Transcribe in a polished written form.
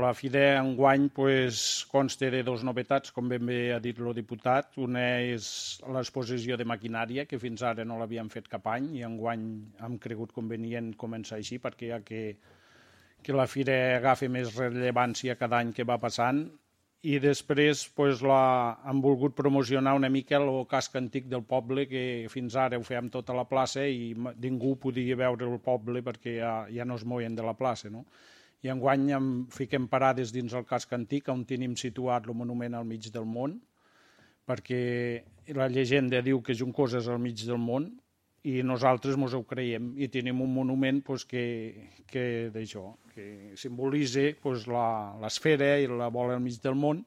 La fira enguany consta de dues novetats, com ben bé ha dit el diputat. Una és l'exposició de maquinària, que fins ara no l'havíem fet cap any, i enguany hem cregut convenient començar així, perquè ja que la fira agafa més rellevància cada any que va passant. I després hem volgut promocionar una mica el casc antic del poble, que fins ara ho fèiem tota la plaça i ningú podia veure el poble perquè ja no es moien de la plaça, no? I enguany fiquem parades dins el casc antic, on tenim situat el monument al mig del món, perquè la llegenda diu que Juncosa és al mig del món i nosaltres ens ho creiem i tenim un monument que simbolitza l'esfera i la bola al mig del món,